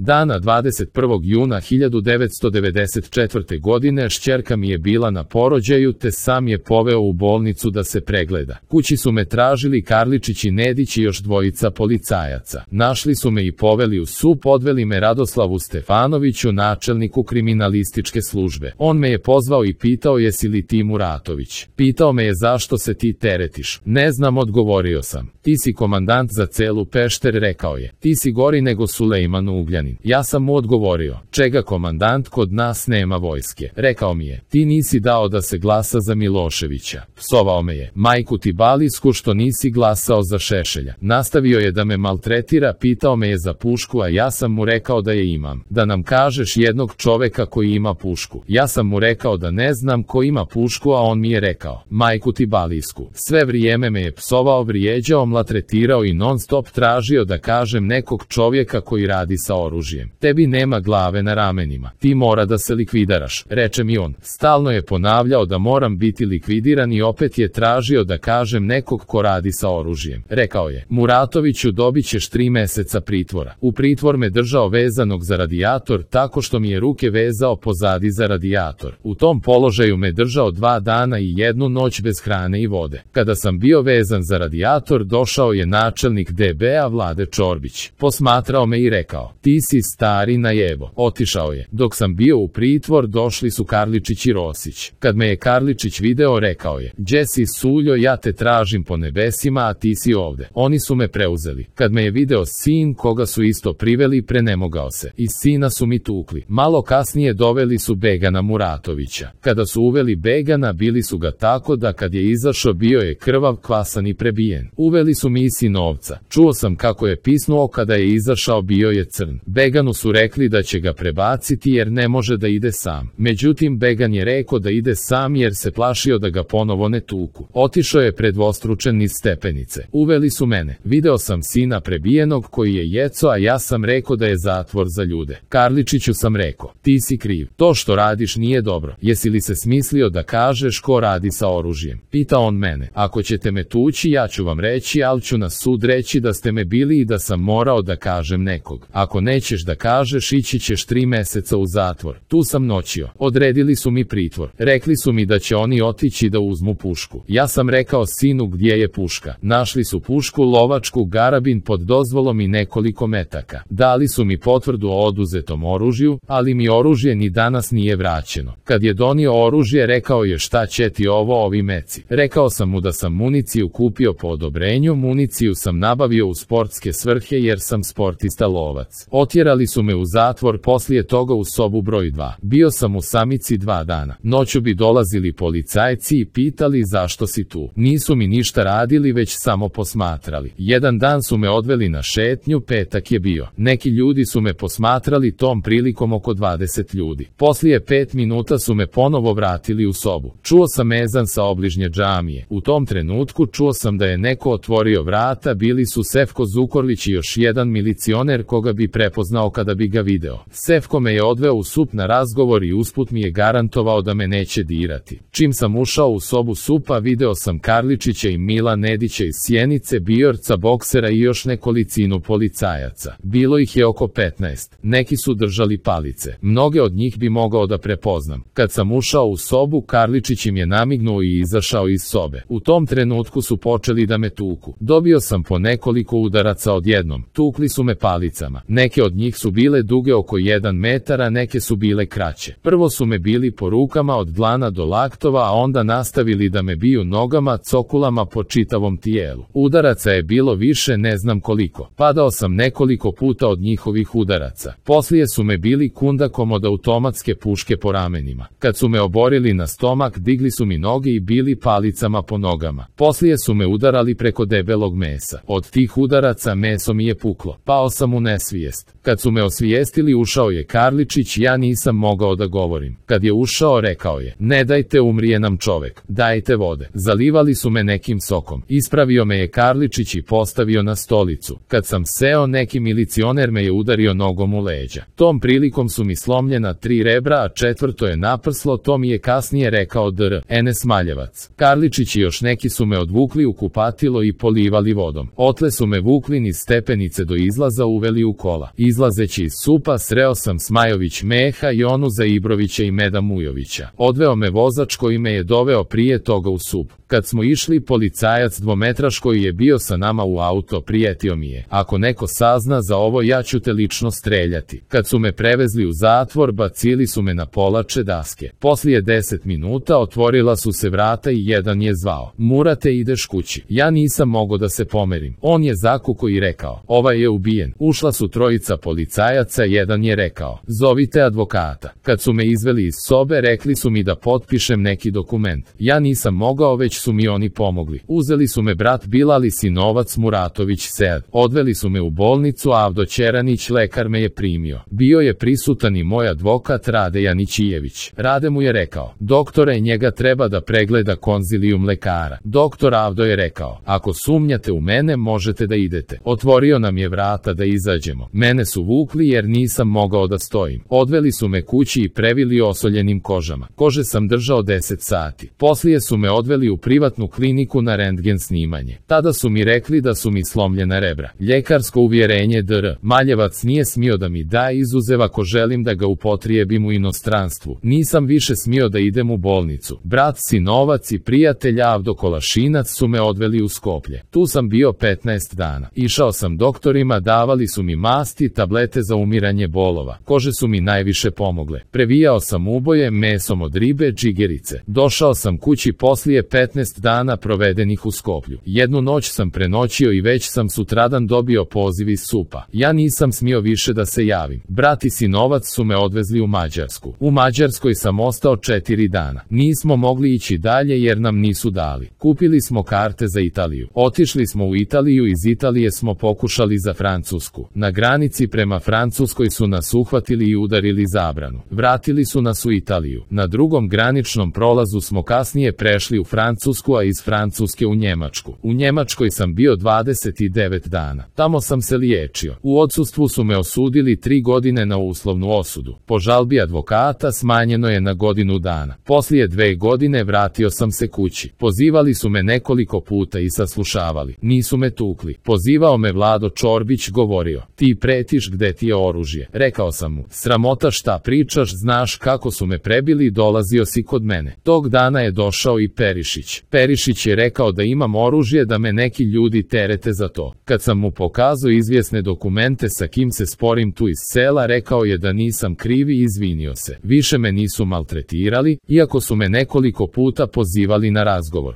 Dana 21. juna 1994. godine šćerka mi je bila na porođaju te sam je poveo u bolnicu da se pregleda. Kući su me tražili Karličić i Nedić i još dvojica policajaca. Našli su me i poveli u SUP, odveli me Radoslavu Stefanoviću, načelniku kriminalističke službe. On me je pozvao i pitao jesi li ti Muratović. Pitao me je zašto se ti teretiš. Ne znam, odgovorio sam. Ti si komandant za celu Pešter, rekao je. Ti si gori nego Sulejman Ugljanin. Ja sam mu odgovorio. Čega komandant, kod nas nema vojske. Rekao mi je. Ti nisi dao da se glasa za Miloševića. Psovao me je. Majku ti balisku što nisi glasao za Šešelja. Nastavio je da me maltretira, pitao me je za pušku, a ja sam mu rekao da je imam. Da nam kažeš jednog čoveka koji ima pušku. Ja sam mu rekao da ne znam ko ima pušku, a on mi je rekao. Majku ti balisku. Sve vrijeme me je psovao, vrijeđao, maltretirao i non stop tražio da kažem nekog čovjeka koji radi sa oružjem. Tebi nema glave na ramenima. Ti mora da se likvidiraš, reče mi on. Stalno je ponavljao da moram biti likvidiran i opet je tražio da kažem nekog ko radi sa oružjem. Rekao je, Muratoviću, dobit ćeš 3 mjeseca pritvora. U pritvor me držao vezanog za radijator tako što mi je ruke vezao pozadi za radijator. U tom položaju me držao 2 dana i 1 noć bez hrane i vode. Kada sam bio vezan za radijator, došao je načelnik DB-a Vlade Čorbić. Posmatrao me i rekao, ti si stari najebo. Otišao je. Dok sam bio u pritvor, došli su Karličić i Rosić. Kad me je Karličić video, rekao je, gdje si Suljo, ja te tražim po nebesima, a ti si ovde. Oni su me preuzeli. Kad me je video sin, koga su isto priveli, prenemogao se. Iz sina su mi tukli. Malo kasnije doveli su Begana Muratovića. Kada su uveli Begana, bili su ga tako da kad je izašao bio je krvav, kvasan i prebijen. Uveli su mi i sinovca. Čuo sam kako je pisnuo kada je izašao, bio je crn. Beganu su rekli da će ga prebaciti jer ne može da ide sam. Međutim, Began je rekao da ide sam jer se plašio da ga ponovo ne tuku. Otišao je predvostručen niz stepenice. Uveli su mene. Video sam sina prebijenog koji je jeco, a ja sam rekao da je zatvor za ljude. Karličiću sam rekao, ti si kriv. To što radiš nije dobro. Jesi li se smislio da kažeš ko radi sa oružjem? Pita on mene. Ako ćete me tući, ja ću vam reći, ali ću na sud reći da ste me bili i da sam morao da kažem nekog. Ako nećeš da kažeš, ići ćeš 3 mjeseca u zatvor. Tu sam noćio. Odredili su mi pritvor. Rekli su mi da će oni otići da uzmu pušku. Ja sam rekao sinu gdje je puška. Našli su pušku, lovačku, garabin pod dozvolom i nekoliko metaka. Dali su mi potvrdu o oduzetom oružju, ali mi oružje ni danas nije vraćeno. Kad je donio oružje, rekao je šta će ti ovi meci. Rekao sam mu da sam municiju kupio po odobrenju, municiju sam nabavio u sportske svrhe jer sam sportista lovac. Otjerali su me u zatvor, poslije toga u sobu broj 2. Bio sam u samici 2 dana. Noću bi dolazili policajci i pitali zašto si tu. Nisu mi ništa radili, već samo posmatrali. Jedan dan su me odveli na šetnju, petak je bio. Neki ljudi su me posmatrali, tom prilikom oko 20 ljudi. Poslije 5 minuta su me ponovo vratili u sobu. Čuo sam ezan sa obližnje džamije. U tom trenutku čuo sam da je neko otvorio vrata, bili su Sefko Zukorlić i još jedan milicioner koga bi prepoznao kada bi ga video. Sefko me je odveo u SUP na razgovor i usput mi je garantovao da me neće dirati. Čim sam ušao u sobu SUP-a, video sam Karličića i Mila Nedića iz Sjenice, Bijorca, boksera i još nekolicinu policajaca. Bilo ih je oko 15. Neki su držali palice. Mnoge od njih bi mogao da prepoznam. Kad sam ušao u sobu, Karličić im je namignuo i izašao iz sobe. U tom trenutku su počeli da me tuku. Dobio sam po nekoliko udaraca odjednom. Tukli su me palicama. Neke od njih su bile duge oko 1 metar, a neke su bile kraće. Prvo su me bili po rukama od dlana do laktova, a onda nastavili da me biju nogama, cokulama po čitavom tijelu. Udaraca je bilo više, ne znam koliko. Padao sam nekoliko puta od njihovih udaraca. Poslije su me bili kundakom od automatske puške po ramenima. Kad su me oborili na stomak, digli su mi noge i bili palicama po nogama. Poslije su me udarali preko debelog mesa. Od tih udaraca meso mi je puklo. Pao sam u nesvijest. Kad su me osvijestili, ušao je Karličić, ja nisam mogao da govorim. Kad je ušao, rekao je, ne dajte, umrije nam čovek, dajte vode. Zalivali su me nekim sokom. Ispravio me je Karličić i postavio na stolicu. Kad sam seo, neki milicioner me je udario nogom u leđa. Tom prilikom su mi slomljena 3 rebra, a 4. je naprslo, to mi je kasnije rekao Dr. Enes Maljevac. Karličić i još neki su me odvukli u kupatilo i polivali vodom. Otle su me vukli niz stepenice do izlaza, uveli u kola. Izlazeći iz supa sreo sam Smajović Meha i onu za Ibrovića i Meda Mujovića. Odveo me vozač koji me je doveo prije toga u sup. Kad smo išli, policajac dvometraš koji je bio sa nama u auto prijetio mi je: ako neko sazna za ovo, ja ću te lično streljati. Kad su me prevezli u zatvor, bacili su me na polače daske. Poslije 10 minuta otvorila su se vrata i jedan je zvao: Murate, ideš kući. Ja nisam mogao da se pomerim. On je zakuko i rekao: ovaj je ubijen. Ušla su trojica policajaca, jedan je rekao: zovite advokata. Kad su me izveli iz sobe, rekli su mi da potpišem neki dokument. Ja nisam mogao, već su mi oni pomogli. Uzeli su me brat Bilal i sinovac Muratović Sead. Odveli su me u bolnicu, a Avdo Ćeranić, lekar, me je primio. Bio je prisutan i moj advokat Rade Janićijević. Rade mu je rekao: doktore, njega treba da pregleda konzilijum lekara. Doktor Avdo je rekao: ako sumnjate u mene, možete da idete. Otvorio nam je vrata da izađemo. Mene su vukli jer nisam mogao da stojim. Odveli su me kući i previli osoljenim kožama. Kože sam držao 10 sati. Poslije su me odveli u privatnu kliniku na rentgen snimanje. Tada su mi rekli da su mi slomljena rebra. Ljekarsko uvjerenje dr. Maljevac nije smio da mi da, izuzev ako želim da ga upotrijebim u inostranstvu. Nisam više smio da idem u bolnicu. Brat, sinovac i prijatelj Avdo Kolašinac su me odveli u Skoplje. Tu sam bio 15 dana. Išao sam doktorima, davali su mi masti, tablete za umiranje bolova. Kože su mi najviše pomogle. Previjao sam uboje mesom od ribe, džigerice. Došao sam kući poslije 15 dana provedenih u Skoplju. Jednu noć sam prenoćio i već sam sutradan dobio poziv iz supa. Ja nisam smio više da se javim. Brat i sinovac su me odvezli u Mađarsku. U Mađarskoj sam ostao 4 dana. Nismo mogli ići dalje jer nam nisu dali. Kupili smo karte za Italiju. Otišli smo u Italiju, iz Italije smo pokušali za Francusku. Na granici prema Francuskoj su nas uhvatili i udarili zabranu. Vratili su nas u Italiju. Na drugom graničnom prolazu smo kasnije prešli u Francusku, a iz Francuske u Njemačku. U Njemačkoj sam bio 29 dana. Tamo sam se liječio. U odsustvu su me osudili 3 godine na uslovnu osudu. Po žalbi advokata smanjeno je na godinu dana. Poslije 2 godine vratio sam se kući. Pozivali su me nekoliko puta i saslušavali. Nisu me tukli. Pozivao me Vlado Čorbić, govorio: ti pretiš, gde ti je oružje? Rekao sam mu: sramota, šta pričaš, znaš kako su me prebili, dolazio si kod mene. Tog dana je došao i Perišić. Perišić je rekao da imam oružje, da me neki ljudi terete za to. Kad sam mu pokazao izvjesne dokumente sa kim se sporim tu iz sela, rekao je da nisam kriv i izvinio se. Više me nisu maltretirali, iako su me nekoliko puta pozivali na razgovor.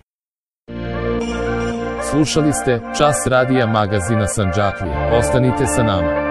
Slušali ste Čas radija magazina Sandžaklija. Ostanite sa nama.